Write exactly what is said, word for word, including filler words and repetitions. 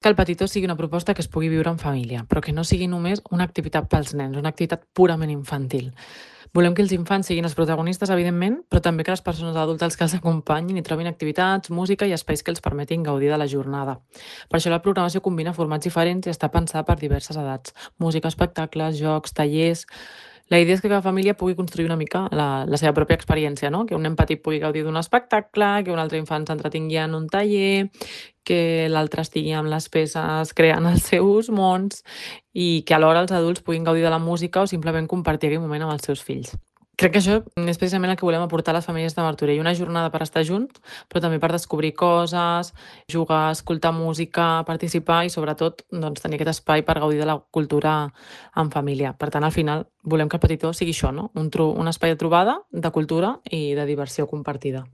Que el petitó sigui una proposta que es pugui viure en família, però que no sigui només una activitat pels nens, una activitat purament infantil. Volem que els infants siguin els protagonistes, evidentment, però també que les persones adultes que els acompanyin i trobin activitats, música i espais que els permetin gaudir de la jornada. Per això la programació combina formats diferents i està pensada per diverses edats. Música, espectacles, jocs, tallers... La idea és que cada família pugui construir una mica la, la seva pròpia experiència, no? Que un nen petit pugui gaudir d'un espectacle, que un altre infant s'entretingui en un taller, que l'altre estigui amb les peces creant els seus mons i que alhora els adults puguin gaudir de la música o simplement compartir aquell moment amb els seus fills. Crec que això és precisament el que volem aportar a les famílies de Martorell, una jornada per estar junts, però també per descobrir coses, jugar, escoltar música, participar i sobretot doncs, tenir aquest espai per gaudir de la cultura en família. Per tant, al final volem que el petitó sigui això, no? un, tro un espai de trobada, de cultura i de diversió compartida.